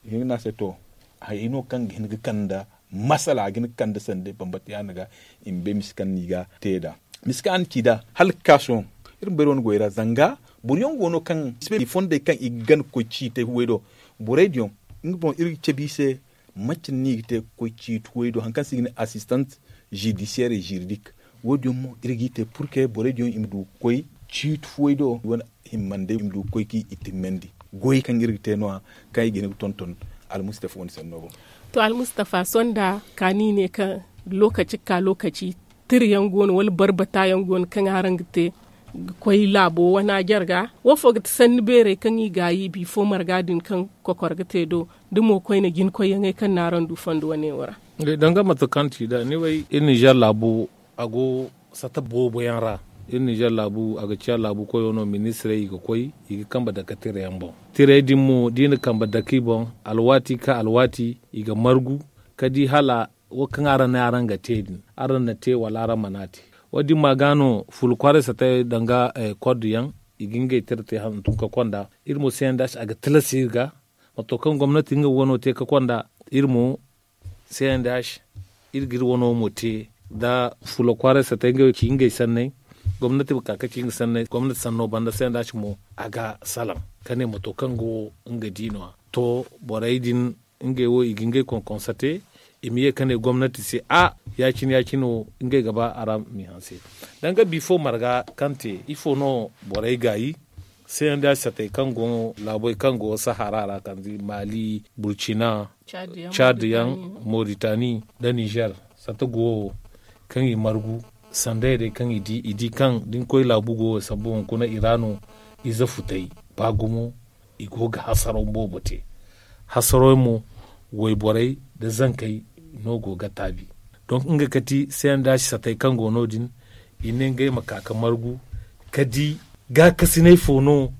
I ga ne a se to hayey no kaŋ ga hin ga kande masala ga hin ga kande sanda bambata ya- din ga i ma bay misi kaŋ no i ga te nd'a. Misi kaŋ a na ci nd'a hala ga ka sohõ iri ma bay iri wane goyey ra zanga boro yaŋ go no kaŋ i fondey kaŋ i ga gana ga koy ciitay huway do. Borey din yaŋ nga boŋ iri ga cabe i se manci no i ga te ga koy ciiti huway do hari kaŋ se i ga ne assistant judiciaire et juridique. Wo- din yaŋ mo iri g'i te purke borey din yaŋ i ma du ga koy ciiti huway do i wane himmandey i ma du ga koy ga i timmandi. Goyey kaŋ iri ga te no- ya kaŋ i ga hin ga tonton almustafa wane sanno boŋ. To almustafa sohõ da kaani i ne kaŋ lookaci ga ka lookaci tira yaŋ go no wala barbata yaŋ go no kaŋ araŋ ga te ga koy laabo wane a jarga? Wo fo ga ti sanni beerey kaŋ i gaayi bifo marga din kaŋ kokor ga te do da mo koyne jinkoyyaŋey kaŋ no araŋ du fondo wane wo ra? Danga mate kaŋ ti nd'a ni bay iri ninzeer laabu a go sata boobo yaŋ ra. Iri ninzeer laabu a ga ciya laabu koyo no ministirey i ga koy i ga kambe dake tira yaŋ boŋ. Tirey din mo da i na kambe dake i boŋ alwaati ka alwaati i ga margu ka di hala wo kaŋ araŋ ne araŋ ga te din araŋ na te wala araŋ mana te. Wo- din ma ga no fula kwaaray satey danga kord yaŋ i ga ngey tira te hantum ka konda. Iri mo se yaŋ da a ga tilas iri ga mato kaŋ gomnati nga wano te ka konda iri mo se yaŋ da iri ga iri wano mo te da fula kwaaray satey ngey ci ngey sanney. Gomnati ma ka ka ci nga sanney gomnati sanno banda se yaŋ da mo a ga salaŋ ka ne mato kaŋ go nga di no- ya to borey din ngey wo i ga ngey konkonsate i ma ye ka ne gomnati se a ya- cine ya- cine wo ngey ga ba araŋ m'i hanse. Danga bifo marga kaŋ te ifo no borey gaayi se yaŋ da satey kaŋ go laabey kaŋ go sahara ra kala maali burcina caad yaŋ moritani nda ninzeer sata go wo kaŋ i margu sanday day kaŋ i di i di kaŋ da ni koy laabu go wo sambu hunkuna i ra no ize futay ba gumo i go ga hasaraw boobo te. Hasaraw mo wayborey nda zankey no go ga taabi. Donk nga kati se yaŋ da satey kaŋ go no- din i ne ngey ma ka ga margu ka di gaakasiney fo no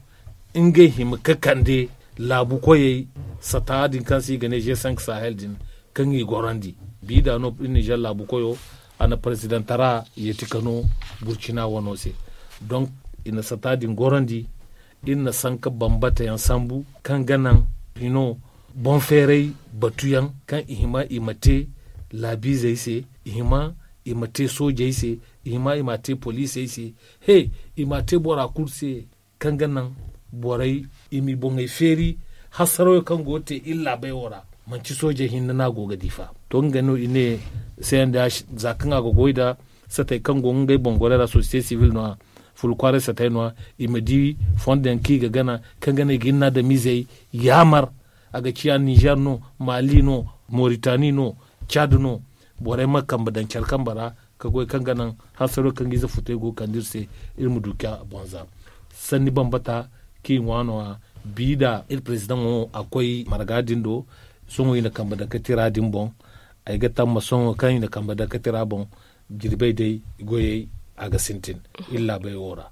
ngey hima ga kande laabu koyey Sata din kaŋ se i ga ne g cinq sahel din, kaŋ i gorandi, bi da no iri nizer laabu koyo, a na parezidantara yeeti ka no burcina wano se. Donk i na sata din gorandi. Iri na sanka bambata yaŋ sambu kaŋ ga naŋ hino boŋ feeray batu yaŋ kaŋ i hima i ma te laabiizey se, i hima i ma te soojey se, i hima i ma te poliisey se, he, i ma te bora kulu se kaŋ ga naŋ borey i m'i boŋey feeri. Hasarayo kaŋ go ga te iri laabey wo ra, manti soojey hinne no a go ga di fa. To nga no i ne, cndh, za kaŋ a ga goy nda satey kaŋ go ngey boŋ goray ra sosiyete sivil no-ya, fulkwaaray satey no-ya, i ma di fondo yaŋ kaŋ i ga gana kaŋ ga naŋ i ga iri na adamiizey yaamar. A ga ciya nizer no, maali no, moritani no, cad no. Borey ma kambe daŋ care kambe ra ka goy kaŋ ga naŋ hasaro kaŋ ga ize futey go ga kande iri se, iri ma du ka boŋ za. Sanni bambata kaŋ i ŋwa no-ya, bi da iri parezidaŋo a koy marga din do. Sohõ i na kambe daŋ ka tira din boŋ. Ay ga tamma sohõ kaŋ i na kambe daŋ ka tira boŋ, jirbey day goyey a ga sintin iri laabey wo ra.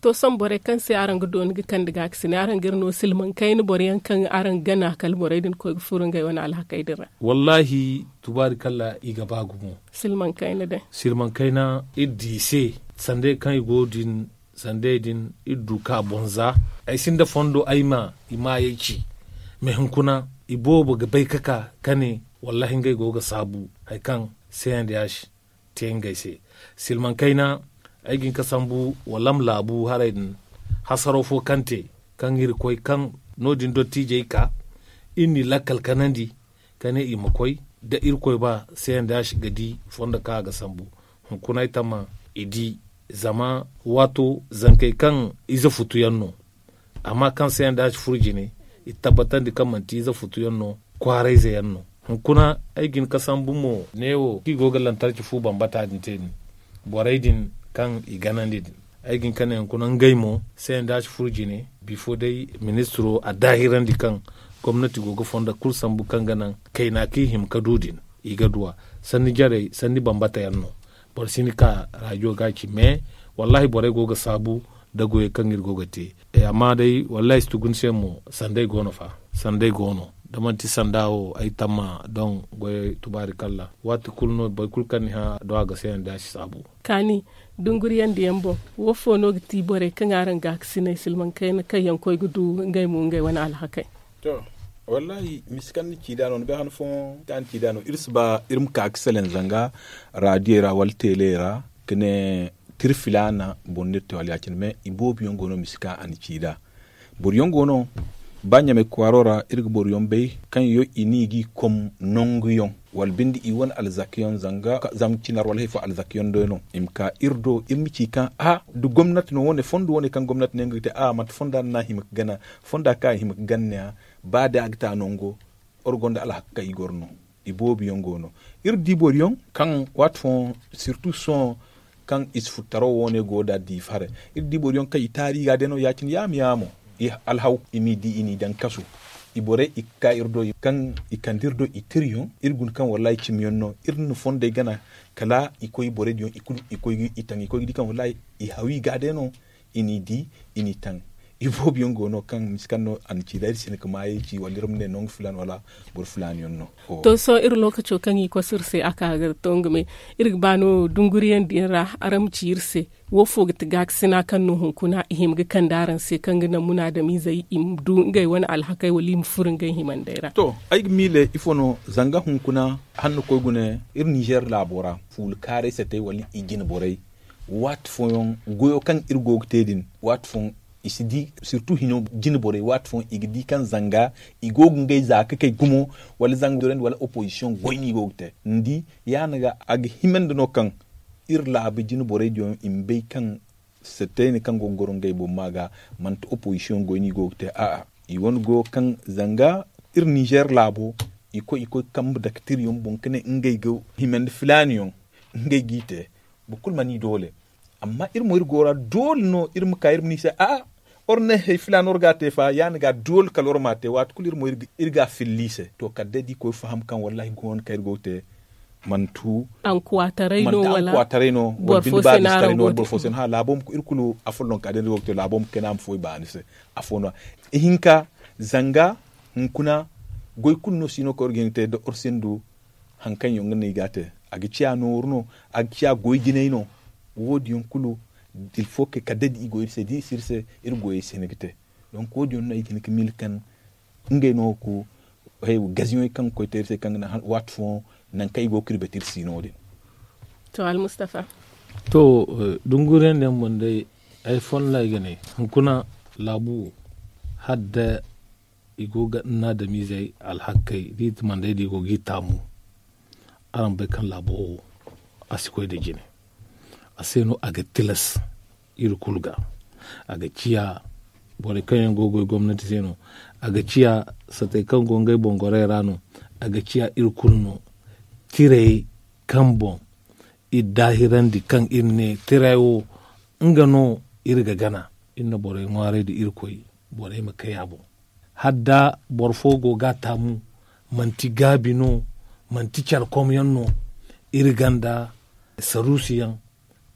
To sohõ borey kaŋ se araŋ ga dooni ga kande gaakasinay, araŋ ga iri no silmaŋ kayna boro yaŋ kaŋ araŋ gana kala borey din koy ga furo ngey wane alhakey din ra? Wallaahi, tubaari kalla i ga ba gumo. Silmaŋ kayna day. Silmaŋ kayna iri di i se, sandey kaŋ i go din, sandey din iri du ka boŋ za. Ay sinda fondo ay ma i maayey ci. Mais hunkuna i boobo ga bay ka ka ka ne, wallaahi ngey go ga saabu hari kaŋ cndh te ngey se. Silmaŋ kayna, ay ga hin ka sambu walam laabu haray din, hasaro fo kaŋ te, kaŋ iri koy kaŋ no- din dottiijey ka iri n'i lakkal kanandi ka ne i ma koy da irkoy ba, cndh ga di fondo kaŋ a ga sambu. Hunkuna ay tamma i di, zama waato zankey kaŋ ize futu yaŋ no. Amma kaŋ se yaŋ da a si furo jine, i tabbatandi kaŋ manti ize futu yaŋ no, kwaarayze yaŋ no. Hunkuna ay ga hin ka sambu mo neewo kaŋ i go ga lantarki fu bambata din te din, borey din kaŋ i ganandi din, ay ga hin ka ne hunkuna ngey mo se yaŋ da a si furo jine. Bifo day ministiro a daahirandi kaŋ gomnati go ga fondo kulu sambu kaŋ ga naŋ kayna kaŋ i hima ka du din, i ga du a. Sanni jarey, sanni bambata yaŋ no. Boro si hin ka rajo ga ci mais, wallaahi borey go ga saabu nda goyey kaŋ iri go ga te. Amma day wallaahi si tugu ni se mo, sanday go no fa. Sanday go no. Da manti sanda wo ay tamma doŋ goyey, tubaari kalla waati kulu no boro kulu kaŋ ni hã do a ga se yaŋ da a si saabu. Kaani, dunguriyandiyaŋ boŋ, wo fo no ga ti borey kaŋ araŋ gaakasinay silmaŋ kayna kaŋ yaŋ koy ga du ngey mo ngey wane alhakey? To, wallaahi, misi kaŋ ni ci nd'a no ni bay han fooyaŋ kaŋ ni ci nd'a no iri si ba iri ma ka ga salaŋ zanga raadiyey ra wala teeley ra, ka ne tira filaana boro no iri te wala ya- cine mais i boobo yaŋ go no misi kaŋ a na ci nd'a. Boro yaŋ go no, ba ɲamay kwaaro ra iri ga boro yaŋ bay kaŋ yaŋ i ne i g'i kom nangu yaŋ, wala binde i wane alzaka yaŋ zanga zama cinar wala hari fo alzaka yaŋ day no i ma ka iri do iri ma ci kaŋ a da gomnati no wane fondo wane kaŋ gomnati ne nga ga te a manti fonda no no a hima ga gana. Fonda kaŋ a hima ga gana ne a, ba day a ga te a nango, iri gonda alhakka i goro no. I boobo yaŋ go no, iri di boro yaŋ kaŋ waati fooyaŋ sirtu sohõ kaŋ i si furtaro wane go nd'a diifa haray. Iri di boro yaŋ kaŋ i taari i ga day no ya- cine yaamo yaamo, i alhaw i m'i di i n'i daŋ kasu. I borey i ga ka iri do kaŋ i kande iri do i tira yaŋ iri guna kaŋ wallaahi cimi yaŋ no iri na fondey gana. Kala i koy borey din yaŋ i kulu i koy ga i taŋ i koy ga di kaŋ wallaahi i haw i ga day no. I n'i di, i n'i taŋ. I boobo yaŋ go no kaŋ misi kaŋ no a na ci da iri si hin ka maayey ci wala iri ma ne nangu filaana wala boro filaana yaŋ no. To sohõ iri lookaco kaŋ i kosu iri se a ka ga to nga me, iri ga ba no dunguriyandiyaŋ ra araŋ ma ci iri se, wo fo ga ti gaakasina kaŋ no hunkuna i hima ga kande araŋ se kaŋ ga naŋ munaadamiizey i ma du ngey wane alhakey wala i ma furo ngey himandey ra? To, ay ga miile ifo no zanga hunkuna hanno koy gune iri nizer laabo ra fuula kaaray satey wala i jine borey. Waati fooyaŋ goyo kaŋ iri go ga te din waati fooyaŋ i si di, sirtu hino jine borey waati fooyaŋ i ga di kaŋ zanga i go ga ngey za ka kay gumo, wala zanga dorandi wala opozisiyoŋ goy no i go ga te. Ni di, yaana ga a ga himandi no kaŋ iri laabu jine borey din yaŋ i ma bay kaŋ seteyne kaŋ go ga goro ngey boŋ ma ga manti opozisiyoŋ goy no i go ga te a'a. I wane go kaŋ zanga iri nizer laabo i koy i koy kambe daktir yaŋ boŋ ka ne ngey ga himandi filaani yaŋ ngey g'i te. Boro kulu mana i doole. Amma iri mo iri go ra doole no iri ma ka iri ma ne i se a'a, iri ne hari filaana iri ga a te fa yaana ga doole kala iri ma a te waati kulu iri mo iri ga a filla i se to kala day da i koy faham kaŋ wallaahi go no kaŋ iri go ga te. Mantu ankuwataray no wala boro fo se no araŋ go ga te laabo ma iri kulu afollonka day no iri go ga te laabo ma kayna ma foy baani se. Afo no ihinka zanga hunkuna Goy kulu no si no kaŋ war ga hin ga te da war sindu hari kaŋ yaŋ ga no i ga a te. A ga ciya nooru no, a ga ciya goy jinay no. Wo- din yaŋ kulu, dilfo kay kala day da i go iri se da i si iri se, iri goyey si hin ga te. Donk wo- din yaŋ no ay ga hin ga miila kaŋ ngey no ga ku gaziyoŋey kaŋ ga koy te iri se kaŋ ga naŋ waati fooyaŋ nangu kaŋ i go ga kirbati iri si no- din. To almustafa. To, dunguriyaŋ din boŋ day, ay fonda ay ga ne, hunkuna laabu wo, hala da i go ga naadamiizey alhakey da i ti manday da i go ga i taamu. Araŋ bay kaŋ laabo wo, a si koy nda jine. A se no a ga tilas iri kulu ga. A ga ciya borey kaŋ yaŋ go ga goy gomnati se no. A ga ciya satey kaŋ go ngey boŋ gorey ra no. A ga ciya iri kulu no. Tirey kaŋ boŋ iri daahirandi kaŋ iri ne tirey wo, nga no iri ga gana. Iri na borey ŋwaaray nda irkoy, borey ma kay a boŋ. Hala da boro fo go ga a taamu, manti gaabi no, manti care komyaŋ no. Iri gonda saruusu yaŋ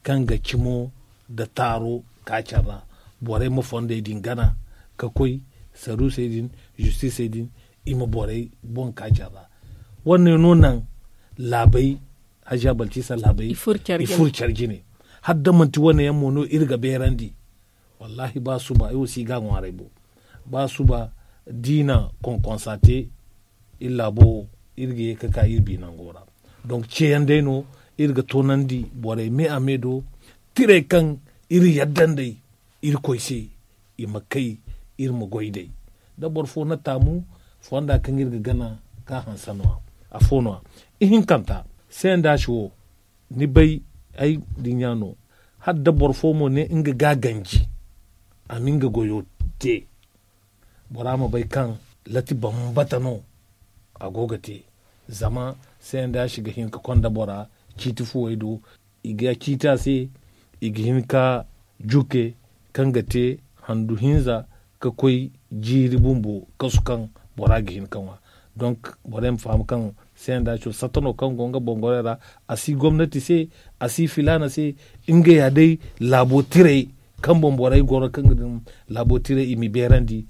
kaŋ ga cimo nda taaro ka care ra. Borey ma fondey din gana ka koy, saruusey din, zistisey din, i ma borey boŋ ka care ra. Wane no naŋ laabey, hajiya balcisa laabey i furo care jine. Hala da manti wane yaŋ mo no iri ga beerandi. Wallaahi ba suba ay wo si ga a ŋwaaray bo. Ba suba da i na konkonsa te, iri laabo wo, iri ga ye ga ka iri bi nango ra. Donk ceeyaŋ day no iri ga toonandi borey me a me do. Tirey kaŋ iri yadda nd'ey irkoy se, i ma kay, iri ma goy nd'ey. Da boro fo na taamu fonda kaŋ iri ga gana ka hanse no- ya. Afo no- ya ihinkanta, se nda a si wo. Ni bay, ay dinya no. Hala da boro fo mo ne nga ga a ganji, a ma nga goyo te, bora ma bay kaŋ lati bambata no a go ga te. Zama se nda a si ga hin ga konda bora ciiti fuwey do. I ga ciiti a se, i ga hin ga juke kaŋ ga te handu hinza ga koy jiiri bumbo kasu kaŋ bora ga hin ga ŋwa. Donk borey ma faham kaŋ se nda a si wo satta no kaŋ go nga boŋ gorey ra. A si gomnati se, a si filaana se. Nga ya day laabo tirey kaŋ boŋ borey goro kaŋ ga din laabo tirey i m'i beerandi.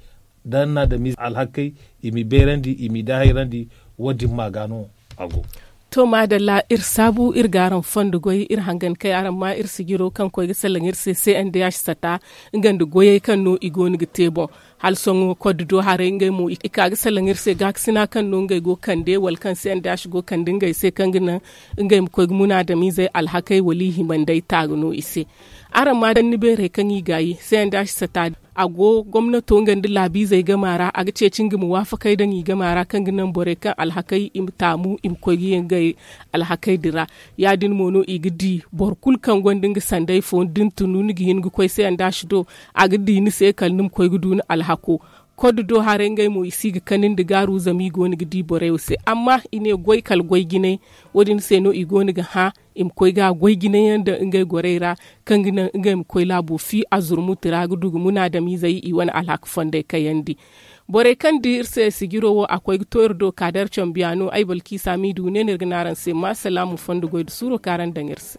Da naadamiize alhakey, i m'i beerandi, i m'i daahayrandi. Wo- din ma ga no a go. To maadalla, iri saabu iri ga araŋ fondo goy, iri hangan kay araŋ ma iri sijiro kaŋ koy ga salaŋ iri se se nda ya si sata. Nga nda goyey kaŋ no i go no ga te boŋ. Hala sohõ koddo do haray ngey mo i ka ga salaŋ iri se gaakasina kaŋ no ngey go ga kande wala kaŋ se nda ya si go ga kande ngey se kaŋ ga naŋ ngey ma koy ga munaadamiizey alhakey wala i hima nd'ey taaga no i se. Araŋ ma danni beerey kaŋ i gaayi se nda ya si sata. A go gomnato nga nda laabiizey gama ra, a ga ceeci nga ma waafakey daŋ i gama ra kaŋ ga naŋ borey kaŋ alhakey i ma taamu i ma koy ga ye ngey alhakey din ra. Ya- din mo no i ga di boro kulu kaŋ gonda nga sanday fo da ni tunu ni ga hin ga koy se nda a si do. A ga di ni se kala ni ma koy ga du ni alhako. Koddo do haray ngey mo i si ga kani nda gaaru zama i go no ga di borey wo se amma i ne goy kala goy jinay. Wo- din se no i go no ga hã i ma koy ga goy jinayaŋ daŋ ngey gorey ra kaŋ ga naŋ ngey ma koy laabo fi a zurmuti ra ga du ga munaadamiizey i wane alhaka fondey kayandi. Borey kaŋ di iri se sijiro wo a koy ga to iri do ka da iri cambiya no ay balkiisa m'i du ne no iri ga ne araŋ se ma salaamu fondo goy nda suuro kaŋ araŋ daŋ iri se.